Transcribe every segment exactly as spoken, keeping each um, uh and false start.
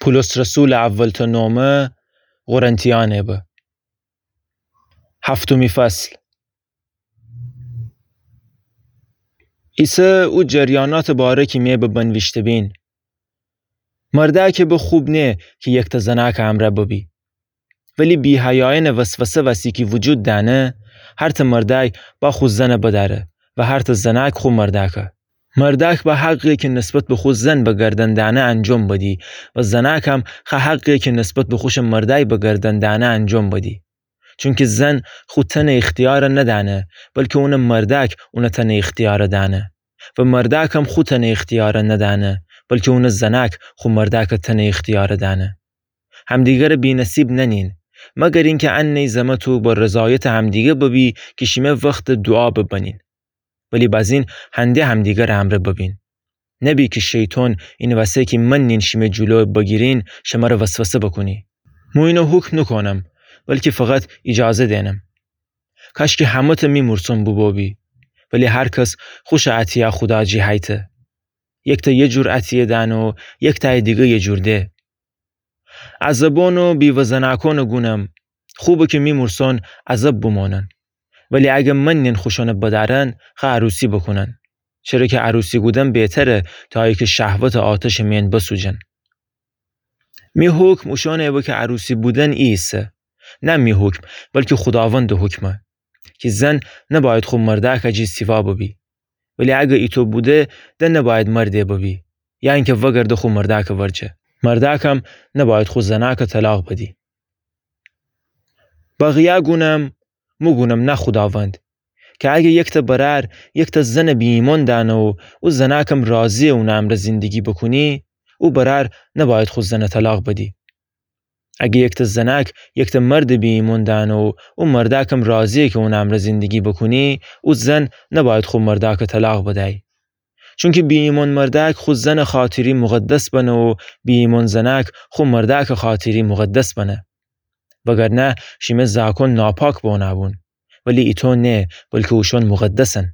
پولس رسولٚ اول تا نومه قرنتیأنٚ به. هفتمی فصل. ایسه او جریاناتٚ باره کی می به بنویشته بین. مردأکٚ به خوب نه کی یکتأ زنأکٚ امرأ ببی. ولی بی‌حیایأنٚ وسوسه وسی کی وجود دأنه، هرتأ مردأی با خو زن بدأره و هرتأ زنأک خو مردأکه. مردأک با حقی کی نسبت به خو زن به گردن دأنه انجام بدی و زنأکم خو حقی کی نسبت به خوشٚ مردأی به گردن دأنه انجام بدی. چونکی زن خو تنٚ ایختیار ندأنه، بلکی اونٚ مردأک اونٚ تنٚ ایختیار دأنه. و مردأکم خو تنٚ ایختیار ندأنه، بلکی اونٚ زنأک خو مردأکٚ تنٚ ایختیار دأنه. همدیگرٚ بینصیب ننین، مگر اینکه انه زمه تو با رضایتٚ همدیگه ببی کی شیمه وختٚ دوعا ببنین. ولی بازین هنده همدیگرٚ امرأ ببین. نبی کی شیطان اینٚ وسه کی منین شیمه جلو بگیرین، شمره وسوسه بکونی. مو اینه حکم نوکونم، بلکی فقط ایجازه دینم. کاشکی همه‌تأ می مورسون بوبوبی، ولی هر کس خوشٚ عطیه خودا جی هیته. یکتأ یه جور عطیه دأنه و یکتأی دیگه یه جور ده. عزبأن و بیوه زنأکأنٚ گونم، خوبه کی می مورسون عزب بومانن. ولی اگه منین خوشأنٚ بدأرن، خو عروسی بوکونن. چره کی عروسی کودن بهتره تا ایکه شهوتٚ آتشٚ مین بسوجن. می حکم اوشأنٚ به کی عروسی بودن ایسه. نه می حکم، بلکی خوداوندٚ حکمه. کی زن نباید خو مردأکٚ جی سیوا ببی. ولی اگه ایتو بوده، ده نباید مرده ببی، یا اینکه وگرده خو مردأکٚ ورجه. مردأکم نباید خو زنأکٚ طلاق بدی. بقیه گونم، مو گونم نه خوداوند، کی اگه یکتأ برأر یکتأ زنٚ بی‌ایمأن دأنه و او زنأکم راضیه اونٚ امرأ زندگی بوکونی، او برأر نباید خو زنٚ طلاق بدی. اگه یکتأ زنأک یکتأ مردٚ بی‌ایمأن دأنه و او مردأکم راضیه کی اونٚ امرأ زندگی بوکونی، او زن نباید خو مردأکٚ طلاق بدأی. چونکی بی‌ایمأن مردأک خو زنٚ خاطری مقدس بنه و بی‌ایمأن زنأک خو مردأکٚ خاطری مقدس بنه. وگرنه شیمه زأکأن ناپاک بونأ بون، ولی ایتو نه، بلکی اوشأن مقدسن.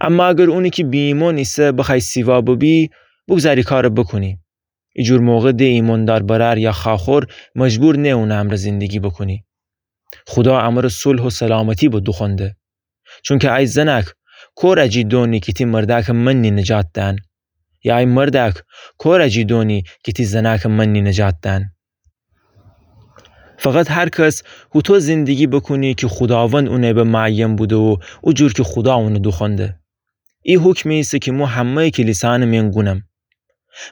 اما اگر اونی کی بی‌ایمأن ایسه بخوأی سیوا ببی، بوگذار ای کارٚ بوکونی. ایجور موقع ده ایمأندار برأر یا خوأخور مجبور نه اونٚ امرأ زندگی بوکونی. خودا امرأ صلح و سلامتی به دوخوأنده. چونکی ای زنأک، کور اجی دونی کی تی مردأکٚ منی نجات دأن؟ یا ای مردأک، کور اجی دونی کی تی زنأکٚ منی نجات دأن؟ فقط هر کس هوطو زندگی بوکونی کی خوداوند اونٚ به معین بوده و او جور کی خودا اونٚ دوخوأنده. ای حکمی ایسه کی مو همه‌یٚ کلیسأنٚ مین گونم.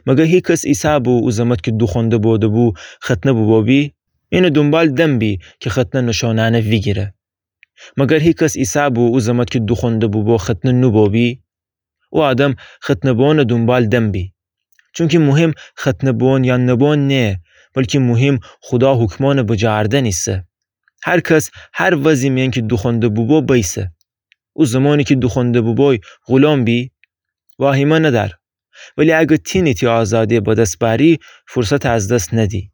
مگر هیکس عیسی بو او زمت کی دوخوأنده بوده‌بو ختنه بوبوبی؟ اینٚ دونبال دنبی کی ختنه نوشونأنه ویگیره. مگر هیکس عیسی بو او زمت کی دوخوأنده بوبو ختنه نوبوبی؟ او آدم ختنه بوئونٚ دونبال دنبی. چونکی مهم ختنه بوئون یا نوبوئون نه، بلکی مهم خودا حکمأنٚ بجاردن ایسه. هر کس هر وضعی مین کی دوخوأنده بوبو بیسه. او زمانی کی دوخوأنده بوبوی غلام بی، واهیمه ندأر. ولی اگر تینی تی آزادی به دس بأری، فرصت از دس ندی.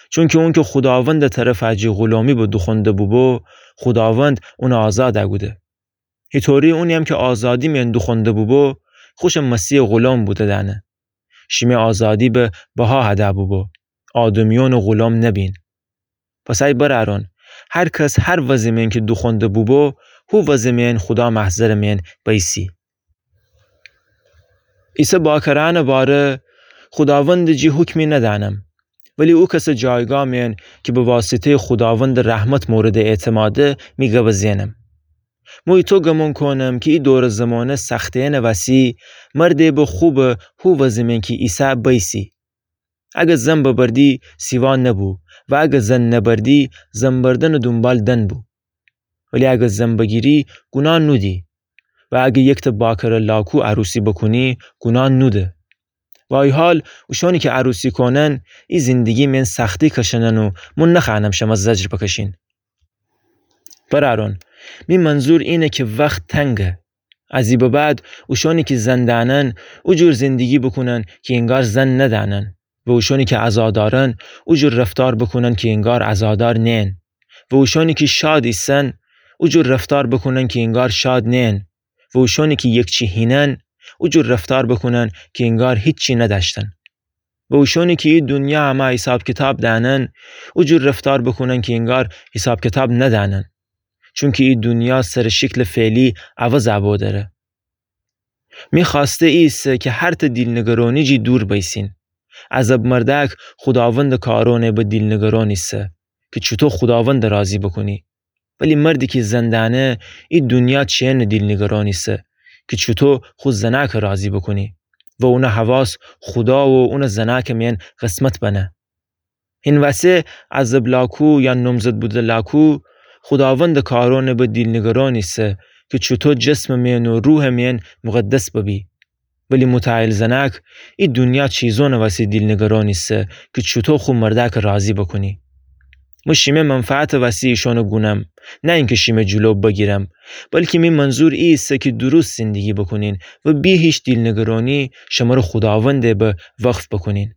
چونکی اونکی خوداوندٚ طرف اجی غلامی به دوخوأنده بوبو، خوداوند اونٚ آزاد کوده. هیطوری اونی‌یم کی آزادی مین دوخوأنده بوبو، خوشٚ مسیحٚ غلام بوده دأنه. شیمی آزادی به بها هده بوبو. آدمیأنٚ غلام نبین. پس ای برأرأن، هر کس هر وضعی مین کی دوخوأنده بوبو، هو وضعی مین خودا محضرٚ مین بیسی. عیسی باکرأنٚ باره، خوداوندٚ جی حکمی ندأنم، ولی او کسٚ جایگاه مین کی به واسطه‌یٚ خوداوندٚ رحمت موردٚ اعتماده، می گبٚ زئنم. مو ایطو گمون کونم کی ای دورٚ زمانه سخته‌یأنٚ وسی، مردٚ به خوبٚ هو وضعی مین کی ایسه بیسی. اگر زن ببردی، سیوا نبو، و اگر زن نبردی، زن بردنٚ دونبال دنبو. ولی اگر زن بگیری، گوناه نودی. و اگر یکتأ باکره لاکو عروسی بوکونی، گوناه نوده. و ای حال، اوشأنی کی عروسی کونن، ای زندگی مین سختی کشنن و مو نخوأنم شمه زجر بکشین. برأرأن، می منظور اینه کی وخت تنگه. از ای به بعد، اوشأنی کی زن دأنن، او جور زندگی بوکونن کی انگار زن ندأنن. و اوشأنی کی عزادارن، او جور رفتار بوکونن کی انگار عزادار نئن. و اوشأنی کی شاد ایسن، او جور رفتار بوکونن کی انگار شاد نئن. و اوشأنی کی یکچی هینن، او جور رفتار بوکونن کی انگار هیچی ندأشتن. و اوشونی کی ای دونیا امه حیساب کیتاب دأنن، او جور رفتار بوکونن کی انگار حیساب کیتاب ندأنن. چونکی ای دونیا سر شکلٚ فعلی عوض ابو دره. می خوأسته ایسه کی هر ته دیل‌نگرانی جی دور بیسین. عزب مردأک خوداوندٚ کارأنٚ به دیل‌نگران ایسه کی چوطو خوداوندَ راضی بوکونی. ولی مردی کی زن دأنه، ای دونیا چی‌نه دیل‌نگران ایسه کی چوطو خو زنأکَ راضی بوکونی و اونٚ حواس خودا و اونٚ زنأکٚ میأن قسمت بنه. هین وسه عزب لاکو یا نومزد بوده لاکو خوداوندٚ کارأنٚ به دیل‌نگران ایسه کی چوطو جسمٚ میأن و روحٚ میأن مقدس ببی. ولی متأهل زنأک ای دونیا چیزأنٚ وسی دیل‌نگران ایسه کی چوطو خو مردأکَ راضی بوکونی. مو شیمه منفعتٚ وسی ایشأنَ گونم، نه اینکی شیمه جلو بگیرم، بلکی می منظور ای ایسه کی درست زندگی بوکونین و بی هیچ دیل‌نگرانی شمره خوداوندٚ به وقف بوکونین.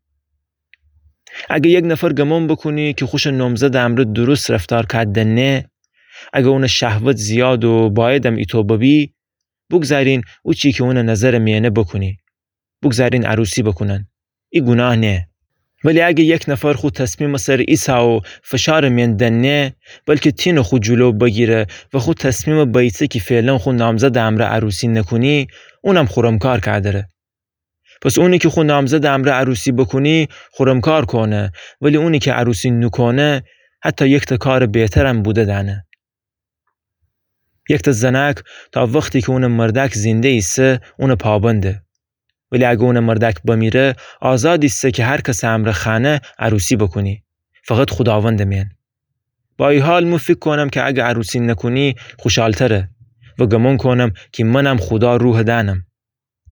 اگه یک نفر گمون بوکونی کی خوشٚ نومزدٚ امرأ درست رفتار کأ دنه، اگه اونٚ شهوت زیاد و بأیدم ایتو ببی، بوگذارین او چی کی اونٚ نظرٚ میأنه بوکونی. بوگذارین عروسی بوکونن. ای گوناه نیه. ولی اگه یک نفر خو تصمیمٚ سر ایسه و فشارٚ میأن دنه، بلکی تینه خو جلو بگیره و خو تصمیمَ بایسه کی فعلا خو نامزدٚ امرأ عروسی نوکونی، اونم خرمکار کأ دره. پس اونی کی خو نامزدٚ امرأ عروسی بوکونی، خرمکار کونه، ولی اونی کی عروسی نوکونه، حتی یکتا کارٚ بهترم بوده دأنه. یکتا زنأک تا وختی کی اونٚ مردأک زنده ایسه، اونٚ پابنده. ولی اگه اونٚ مردأک بمیره، آزاد ایسه کی هر کسٚ امرأ خوأنه عروسی بوکونی. فقط خوداوندٚ میأن. با ای حال مو فیکر کونم کی اگه عروسی نوکونی خوشحالتره و گمون کونم کی منم خودا روحَ دأنم.